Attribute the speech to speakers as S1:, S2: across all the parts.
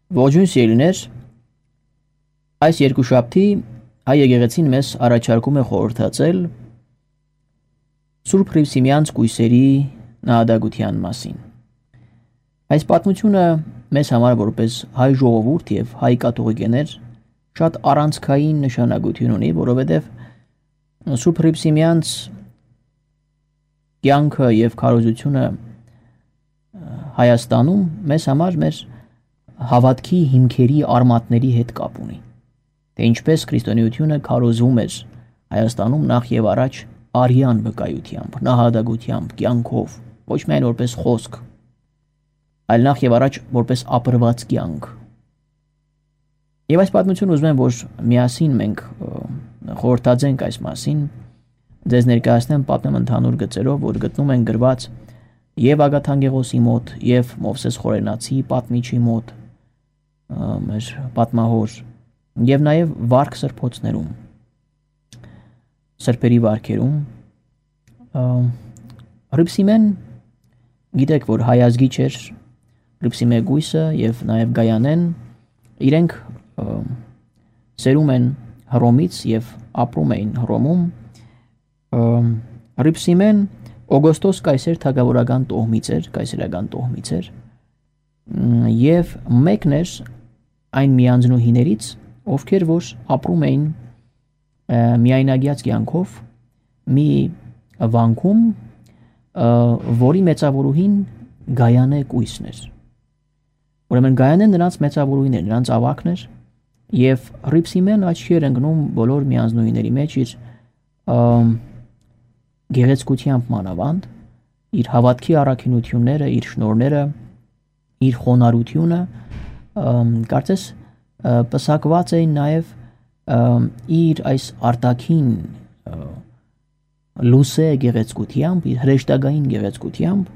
S1: Ողջույն սիրելիներ, այս երկուշաբթի հայ եկեղեցին մեզ առաջարկում է խորհրդածել Սուրբ Հռիփսիմեանց կույսերի նահատակության մասին։ Այս պատմությունը մեզ համար որպես հայ ժողովուրդ եւ հայ կաթողիկեներ շատ առանցքային նշանակություն ունի, որովհետեւ Սուրբ Հռիփսիմեանց կյանքը եւ քարոզությունը Հայաստանում մեզ համար մեր հավատքի հիմքերի արմատների հետ կապ ունի, թե ինչպես քրիստոնեությունը քարոզվում էր Հայաստանում նախ եւ առաջ արյան վկայությամբ, նահատակությամբ, կյանքով, ոչ միայն որպես խոսք, այլ նախ եւ առաջ որպես ապրված կյանք։ Եվ այս պատմությունը ուզում եմ, որ միասին մենք խորհրդածենք այս մասին, ձեզ ներկայացնեմ պատմեմ ընդհանուր գծերով, որ գտնում են գրված եւ Ագաթանգեղոսի մոտ, եւ Մովսես Խորենացի պատմիչի մոտ, մեր պատմահոր, եւ նաեւ վարք սրբոցներում, սրբերի վարքերում։ Հռիփսիմեն գիտեք, որ հայ ազգի չէր, Հռիփսիմե գույսը եւ նաեւ Գայանեն իրենք սերում են Հռոմից եւ ապրում էին Հռոմում։ Հռիփսիմեն Օգոստոս կայսեր թագավորական տոհմից էր, կայսերական տոհմից էր, եւ մեկն էր այն միանձնուհիներից, ովքեր որ ապրում էին միայնագյաց կյանքով մի վանքում, որի մեծավորուհին Գայանե կույսն էր։ Ուրեմն Գայանեն նրանց մեծավորուհին էր, նրանց ավագն էր, եւ Հռիփսիմեն աչքի էր ընկնում բոլոր միանձնուհիների մեջ իր գեղեցկությամբ մանավանդ, իր հավատքի առաքինությունները, իր շնորհները, իր խոնարհությունը, կարծես պսակված էին նաև իր այս արտաքին լուսե գեղեցկությամբ, իր հրեշտակային գեղեցկությամբ,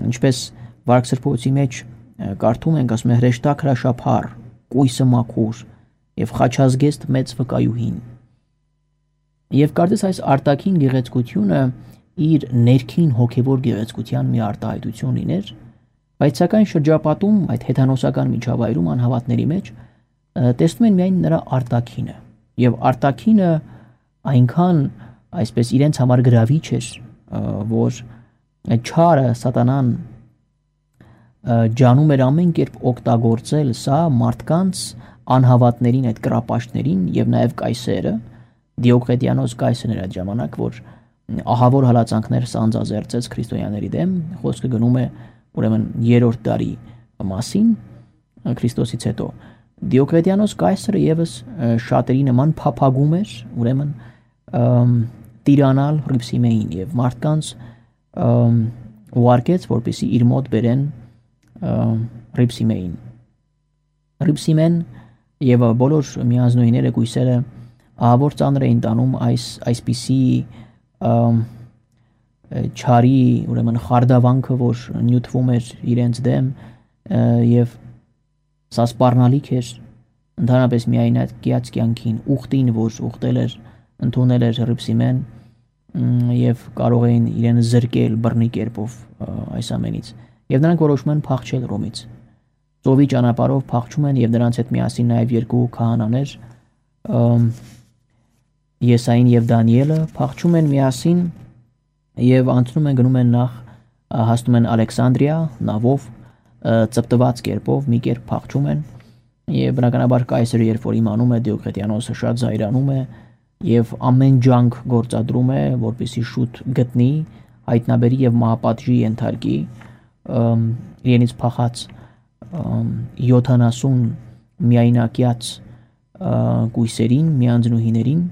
S1: ինչպես վարք սրբոցի մեջ կարդում ենք, ասում է հրեշտակ հրաշափառ, կույսը մաքուր եւ խաչազգեստ մեծ վկայուհին։ Եվ կարծես այս արտաքին գեղեցկությունը իր ներքին հոգևոր գեղեցկության մի արտահայտություն լիներ, բայց սակայն շրջապատում այդ հեթանոսական միջավայրում անհավատների մեջ տեսնում են միայն նրա արտաքինը, եւ արտաքինը այնքան այսպես իրենց համար գրավիչ էր, որ չարը սատանան ջանում էր ամեն կերպ օգտագործել սա մարդկանց անհավատներին, այդ կռապաշտներին եւ նաեւ կայսերը, Դիոկլետիանոս կայսրն էր այդ ժամանակ, որ ահավոր հալածանքներ սանձազերծեց քրիստոնյաների դեմ, խոսքը գնում է ուրեմն 3-րդ դարի մասին Քրիստոսից հետո։ Դիոկլետիանոս կայսրը եւս շատերի նման փափագում էր, ուրեմն տիրանալ Հռիփսիմեին եւ մարդկանց ուղարկեց, որպեսզի իր մոտ բերեն Հռիփսիմեին։ Հռիփսիմեն եւ բոլոր միանձնուհիները գույսերը ահավոր ծանր էին տանում այսպիսի չարի, ուրեմն խարդավանքը, որ նյութվում էր իրենց դեմ եւ սա սպառնալիք էր ընդհանրապես միայնագյաց կյանքին, ուխտին, որ ուխտել էր, ընդունել էր Հռիփսիմեն եւ կարող էին իրեն զրկել բռնի կերպով այս ամենից։ Եվ նրանք որոշում են փախչել Ռոմից։ Ծովի ճանապարհով փախչում են եւ նրանց հետ միասին նաեւ երկու քահանաներ Եսային եւ Դանիելը փախչում են միասին եւ անցնում են գնում են նախ հասնում են Ալեքսանդրիա նավով ծպտված կերպով մի կերպ փախչում են եւ բնականաբար կայսրը երբ որ իմանում է Դիոկլետիանոսը շատ զայրանում է եւ ամեն ջանք գործադրում է որպեսզի շուտ գտնի հայտնաբերի եւ մահապատժի ենթարկի իրենից փախած 70 միայնակյաց կույսերին, միանձնուհիներին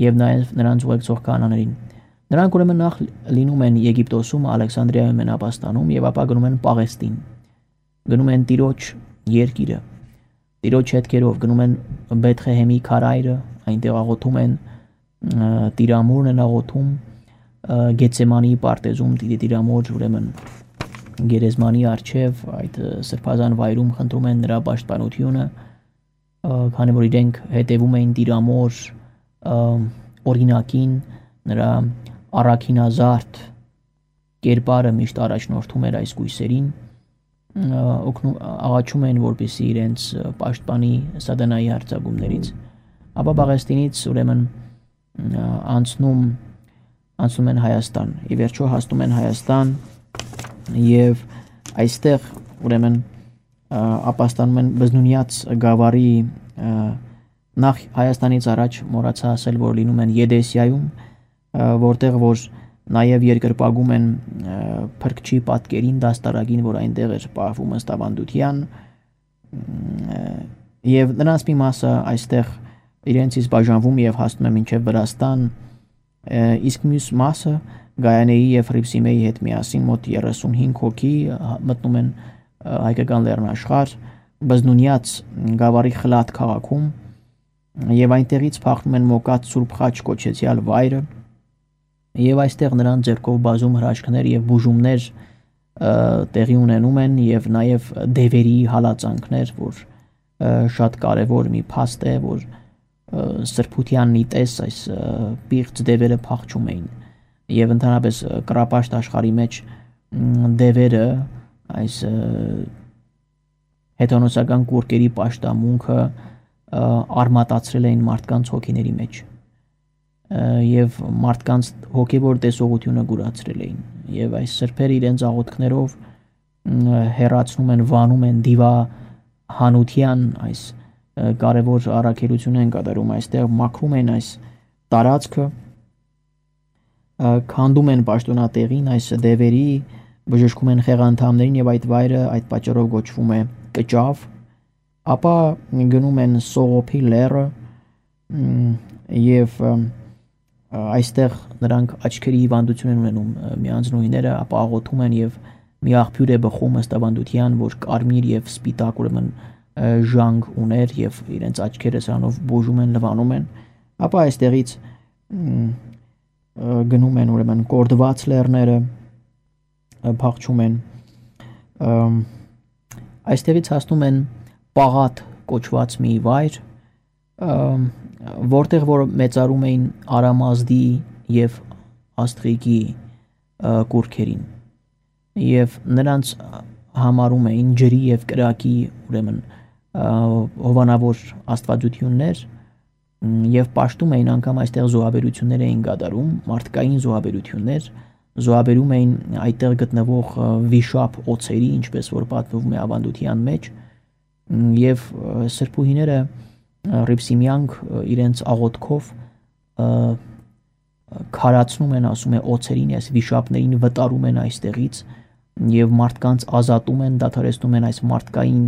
S1: եւ նաեւ նրանց ուղեկցող քահանաներին։ Նրանք ուրեմն նախ լինում են Եգիպտոսում, Ալեքսանդրիայում են ապաստանում եւ ապա գնում են Պաղեստին։ Գնում են Տիրոջ երկիրը։ Տիրոջ հետքերով գնում են Բեթխեհեմի քարայրը, այնտեղ աղոթում են Տիրամորն են աղոթում, Գեցեմանի պարտեզում Տիրամոր ուրեմն գերեզմանի առջև այդ սրբազան վայրում խնդրում են նրա պաշտպանությունը, քանի որ իրենք հետևում էին Տիրամոր օրինակին, նրա առաքինազարդ կերպարը միշտ առաջնորդում էր այս կույսերին աղաչում են, որպեսզի իրենց պաշտպանի սատանայի հարձակումներից։ Ապա Պաղեստինից ուրեմն անցնում են Հայաստան։ Ի վերջո հասնում են Հայաստան եւ այստեղ ուրեմն ապաստանում են Բզնունյաց գավառի նախ Հայաստանից առաջ մոռացա ասել, որ լինում են Եդեսիայում, որտեղ որ նաև երկրպագում են Փրկչի պատկերին դաստարակին, որ այնտեղ էր պահվում ըստ ավանդության, եւ նրանց մի մասը այստեղ իրենցից բաժանվում եւ հասնում է մինչեւ Վրաստան, իսկ մյուս մասը Գայանեի եւ Հռիփսիմեի հետ միասին մոտ 35 հոգի մտնում են հայկական լեռնաշխարհ Բզնունյաց գավառի Խլաթ քաղաքում եւ այնտեղից փախնում են Մոկատ Սուրբ Խաչ կոչեցյալ վայրը եւ այստեղ նրանց ձեռքով բազում հրաշքներ եւ բուժումներ տեղի ունենում են եւ նաեւ դևերի հալածանքներ, որ շատ կարեւոր մի փաստ է, որ սրբությանն իտես այս պիղծ դևերը փախչում էին եւ ընդհանրապես կռապաշտ աշխարհի մեջ դևերը այս հետոնոսական կուրկերի պաշտամունքը արմատացրել էին մարդկանց հոգիների մեջ եւ մարդկանց հոգեվոր տեսողությունը գուրացրել էին եւ այս սրբերը իրենց աղոթքներով հերացնում են, վանում են դիվահանության այս կարևոր առաքելություն են կատարում այստեղ մաքրում են այս տարածքը քանդում են պաշտոնատեղին այս դևերի բժշկում են խեղանդամներին եւ այդ վայրը այդ պատճառով գոչվում է Կճավ ապա գնում են Սողոփի լեռը եւ այստեղ նրանք աչքերի հիվանդություն են ունենում միանձնուհիները ապա աղոթում են եւ մի աղբյուր է բխում ըստ ավանդության որ կարմիր եւ սպիտակ ուրեմն ժանգ ուներ եւ իրենց աչքերը սրանով բուժում են լվանում են ապա այստեղից գնում են ուրեմն կորդված լեռները փախչում են այստեղից հասնում են Պաղատ կոչված մի վայր որտեղ որ մեծարում էին Արամազդի եւ Աստրիգի կուրքերին եւ նրանց համարում էին ջրի եւ կրակի ուրեմն հովանավոր աստվածություններ եւ պաշտում էին անգամ այստեղ զոհաբերություններ էին կատարում մարդկային զոհաբերում էին այդտեղ գտնվող վիշապ օծերի ինչպես որ պատմվում է ավանդության մեջ եւ սրբուհիները Հռիփսիմյանք իրենց աղոթքով քարացնում են ասում է օծերին այս վիշապներին վտարում են այստեղից եւ մարդկանց ազատում են դադարեցնում են այս մարդկային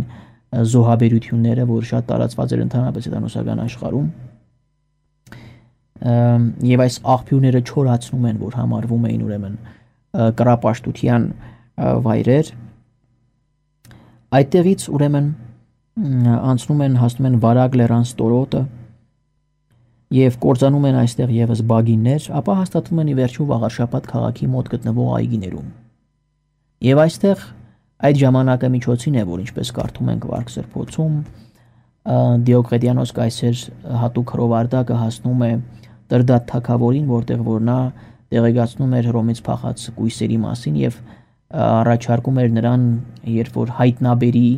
S1: զոհաբերությունները որ շատ տարածված էր ընդհանրապես հետանոսական աշխարհում եւ այս աղբյուրները չորացնում են որ համարվում էին ուրեմն կռապաշտության վայրեր այդտեղից ուրեմն անցնում են հասնում են Վարագ լեռան ստորոտը եւ կործանում են այստեղ եւս բագիններ ապա հաստատվում են ի վերջո Վաղարշապատ քաղաքի մոտ գտնվող այգիներում եւ այստեղ այդ ժամանակամիջոցին է որ ինչպես կարդում ենք Վարք Սրբոցում Դիոկլետիանոս կայսեր հատուկ հրովարտակը հասնում է Տրդատ թագավորին որտեղ որ նա տեղեկացնում էր Հռոմից փախած կույսերի մասին եւ առաջարկում էր նրան երբ որ հայտնաբերի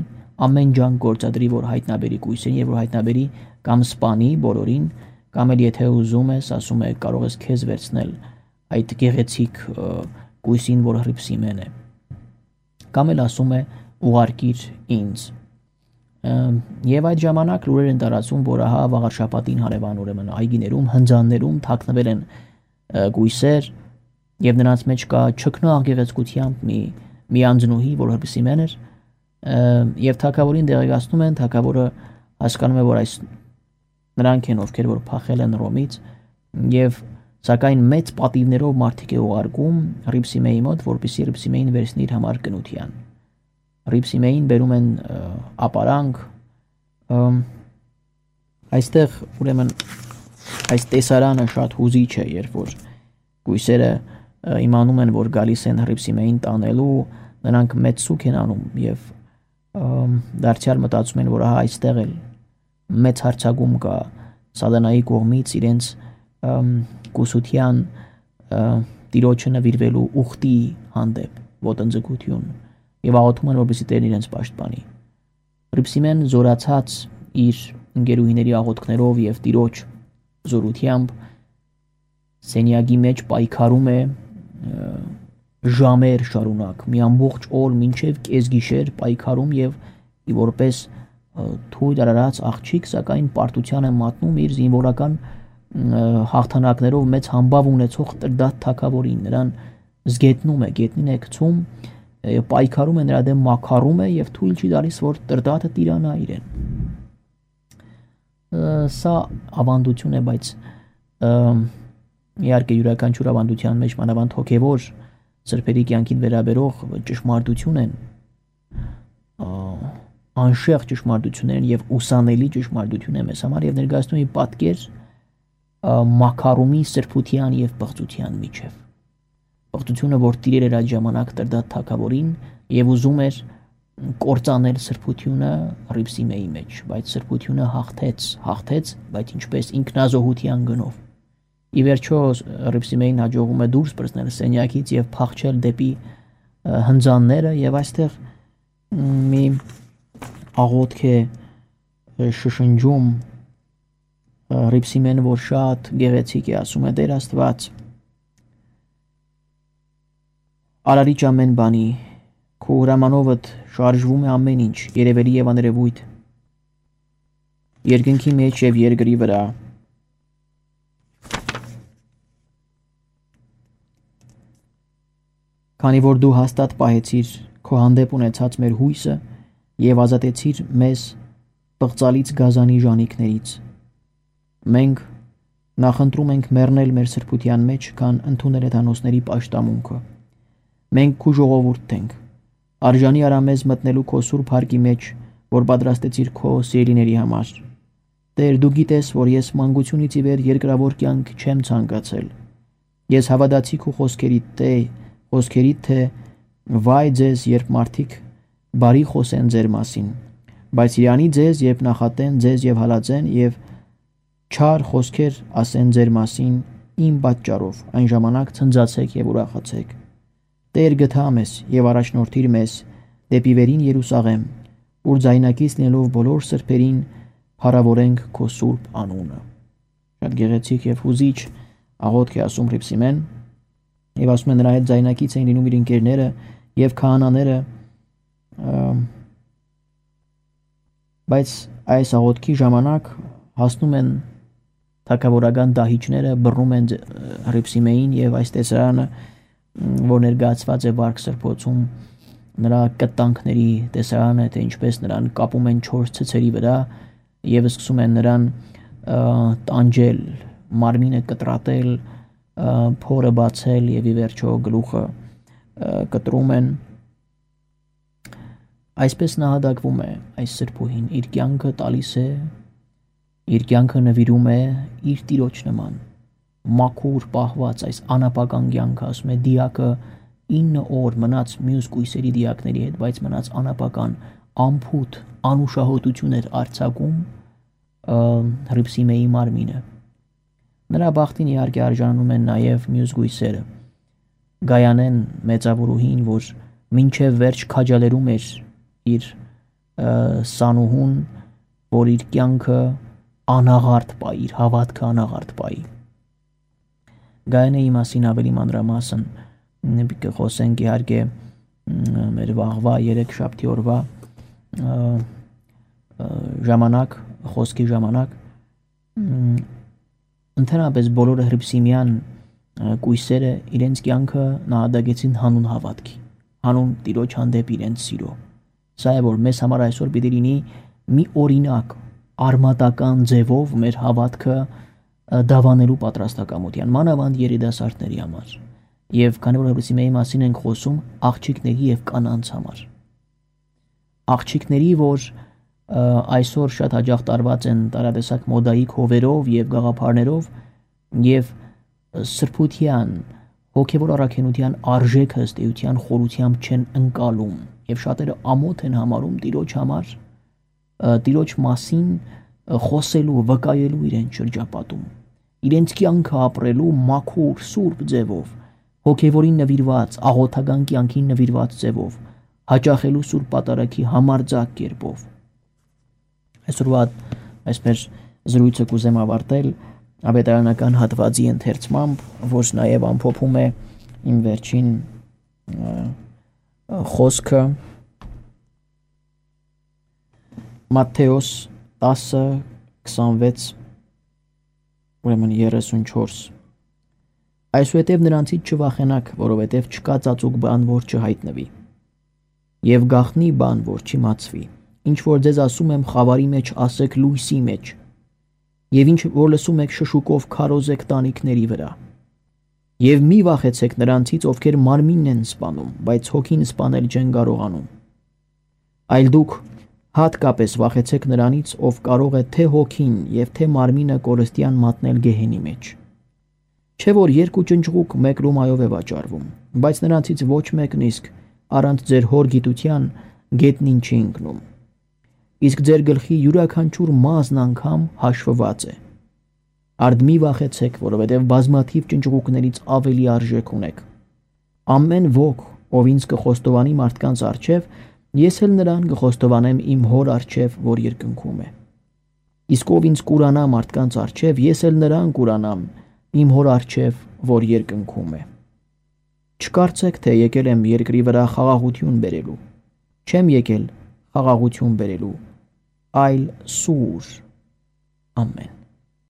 S1: ամեն ջան գործադրի որ հայտնաբերի կույսերին եւ որ հայտնաբերի կամ սպանի բոլորին կամ էլ եթե ուզում ես ասում է կարող ես քեզ վերցնել այդ գեղեցիկ կույսին որ Հռիփսիմեն է կամ էլ ասում է ուղարկիր ինձ եւ այդ ժամանակ լուրեր են տարածում որ ահա Վաղարշապատին հարևան ուրեմն այգիներում հնձաններում թաքնվել են կույսեր եւ նրանց մեջ կա չքնաղ գեղեցկությամբ մի անձնուհի որ Հռիփսիմեն էր եւ թագավորին դեղեկացնում են թագավորը հասկանում է որ այս նրանք են ովքեր որ փախել են Հռոմից եւ սակայն մեծ պատիվներով մարդիկ է ուղարկում Հռիփսիմեի մոտ որպեսզի Հռիփսիմեին վերցնի իր համար կնության Հռիփսիմեին բերում են ապարանք այստեղ ուրեմն այս տեսարանը շատ հուզիչ է երբ որ կույսերը իմանում են որ գալիս են Հռիփսիմեին տանելու նրանք մեծ սուք են անում եւ դարձյալ մտածում են որ ահա այստեղ էլ մեծ հարցակում կա սատանայի կողմից իրենց կուսության տիրոջը նվիրվելու ուխտի հանդեպ ոտնձգություն եւ աղոթում են, որպեսզի Տերն իրենց պաշտպանի։ Հռիփսիմեն զորացած իր ընկերուհիների աղոթքներով եւ Տիրոջ զորությամբ սենյակի մեջ պայքարում է ժամեր շարունակ, մի ամբողջ օր մինչև կեսգիշեր պայքարում եւ որպես թույլ արարած աղջիկ, սակայն պարտության է մատնում իր զինվորական հաղթանակներով մեծ համբավ ունեցող Տրդատ թագավորին, նրան զգետնում է, գետնին է գցում, պայքարում է նրա դեմ, մաքարում է եւ թույլ չի տալիս, որ Տրդատը տիրանա իրեն։ Սա ավանդություն է, բայց իհարկե յուրաքանչյուր ավանդության մեջ մանավանդ հոգևոր սրբերի կյանքին վերաբերող ճշմարտություն են, անշեղ ճշմարտություն են եւ ուսանելի ճշմարտություն է մեզ համար եւ ներկայացնում է պատկեր մաքարումի, սրբության եւ պղծության միջև։ Պղծությունը, որ տիրել էր այդ ժամանակ Տրդատ թագավորին եւ ուզում էր կործանել սրբությունը Հռիփսիմեի մեջ, բայց սրբությունը հաղթեց, բայց ինչպես ինքնազոհության գնով։ Ի վերջո Հռիփսիմեին հաջողում է դուրս բռնել սենյակից եւ փախչել դեպի հնձանները եւ այստեղ մի աղոթք է շշնջում Հռիփսիմեն, որ շատ գեղեցիկ է, ասում է Տեր Աստված, արարիչ ամեն բանի, քո հրամանովդ շարժվում է ամեն ինչ, երևելի եւ աներևույթ, երկնքի մեջ եւ երկրի վրա։ Քանի որ դու հաստատ պահեցիր քո հանդեպ ունեցած մեր հույսը եւ ազատեցիր մեզ պղծալից գազանի ժանիքներից, մենք նախընտրում ենք մեռնել մեր սրբության մեջ, քան ընդունել հեթանոսների պաշտամունքը։ Մենք քո ժողովուրդն ենք, արժանի արա մեզ մտնելու քո սուրբ հարկի մեջ, որ պատրաստեցիր քո սիրելիների համար։ Տեր, դու գիտես, որ ես մանկությունից ի վեր երկրավոր կյանք չեմ ցանկացել։ Ես հավատացի քո խոսքերիդ, թե վայ ձեզ, երբ մարդիկ բարի խոսեն ձեր մասին, բայց իրանի ձեզ, երբ նախատեն ձեզ եւ հալածեն եւ չար խոսքեր ասեն ձեր մասին իմ պատճառով, այն ժամանակ ցնծացեք եւ ուրախացեք։ Տեր, գթա մեզ եւ առաջնորդիր մեզ դեպի վերին Երուսաղեմ, ուր ձայնակից լինելով բոլոր սրբերին փառավորենք քո սուրբ անունը։ Շատ գեղեցիկ եւ հուզիչ աղոթք է ասում Հռիփսիմեն, եւ ասում է նրա հետ ձայնակից էին լինում իր ընկերները եւ քահանաները, բայց այս աղոթքի ժամանակ հասնում են թագավորական դահիճները, բռնում են Հռիփսիմեին եւ այս տեսարանը, որ ներկայացված է Վարք Սրբոցում, նրա կտանքների տեսարանը, թե ինչպես նրան կապում են 4 ցցերի վրա եւ սկսում են նրան տանջել, մարմինը կտրատել, փորը բացել եւ ի վերջո գլուխը կտրում են։ Այսպես նահատակվում է այս սրբուհին, իր կյանքը տալիս է, իր կյանքը նվիրում է իր Տիրոջ նման, մաքուր պահված այս անապական կյանքը, ասում է դիակը 9 օր մնաց մյուս կույսերի դիակների հետ, բայց մնաց անապական, ամփոփ անուշահոտություն էր արձակում Հռիփսիմեի մարմինը։ Նրա բախտին իհարկե արժանանում են նաև մյուս գույսերը։ Գայանեն մեծավորուհին, որ մինչև վերջ քաջալերում էր իր սանուհուն, որ իր կյանքը անաղարտ պայի, իր հավատքը անաղարտ պայի։ Գայանեի մասին ավելի մանրամասն կխոսենք իհարկե մեր վաղվա 3 շաբթի օրվա ժամանակ, խոսքի ժամանակ, ընդհանրապես բոլորը հռիփսիմյան կույսերը իրենց կյանքը նահատակեցին հանուն հավատքի, հանուն Տիրոջ հանդեպ իրենց սիրո։ Սա է, որ մեզ համար այսօր պիտի լինի մի օրինակ, արմատական ձևով մեր հավատքը դավանելու պատրաստակամության, մանավանդ երիտասարդների համար։ Եվ քանի որ Հռիփսիմեի մասին ենք խոսում, աղջիկների եւ կանանց համար։ Աղջիկների, որ այսօր շատ հաճախ տարված են տարատեսակ մոդայիկ հովերով եւ գաղափարներով եւ սրբության, հոգեվոր առաքինության արժեքը ըստ էության խորությամբ չեն ընկալում եւ շատերը ամոթ են համարում Տիրոջ համար, Տիրոջ մասին խոսելու, վկայելու իրենց շրջապատում, իրենց կյանքը ապրելու մաքուր, սուրբ ձևով, հոգեվորին նվիրված, աղոթական կյանքին նվիրված ձևով, հաճախելու Սուրբ Պատարագի համարձակ կերպով։ Այսօրվա այս մեր զրույցը կուզեմ ավարտել ավետարանական հատվածի ընթերցմամբ, որը նաև ամփոփում է իմ վերջին խոսքը Մատթեոս 10:26 ուրեմն 34 Այսուհետև նրանցից չվախենաք, որովհետև չկա ծածուկ բան, որ չհայտնվի, եւ գաղտնի բան, որ չիմացվի, ինչ որ ձեզ ասում եմ խավարի մեջ, ասեք լույսի մեջ, եւ ինչ որ լսում եք շշուկով քարոզեք տանիքների վրա, եւ մի վախեցեք նրանցից, ովքեր մարմինն են սպանում, բայց հոգին սպանել չեն կարողանում, այլ դուք հատկապես վախեցեք նրանից, ով կարող է թե հոգին եւ թե մարմինը կորստյան մատնել գեհենի մեջ։ Չէ որ երկու ճնճղուկ մեկ լումայով է վաճառվում, բայց նրանցից ոչ մեկն իսկ առանց ձեր հոր գիտության գետնին չի ընկնում։ Իսկ ձեր գլխի յուրաքանչյուր մազն անգամ հաշվված է։ Արդ մի վախեցեք, որովհետև բազմաթիվ ճնճղուկներից ավելի արժեք ունեք։ Ամեն ոք, ով ինձ կխոստովանի մարդկանց առջև, ես էլ նրան կխոստովանեմ իմ հոր առջև, որ երկնքում է։ Իսկ ով ինձ կուրանա մարդկանց առջև, ես էլ նրան կուրանամ իմ հոր առջև, որ երկնքում է։ Չկարծեք, թե եկել եմ երկրի վրա խաղաղություն բերելու։ Չեմ եկել խաղաղություն բերելու, այլ սուր։ Ամեն։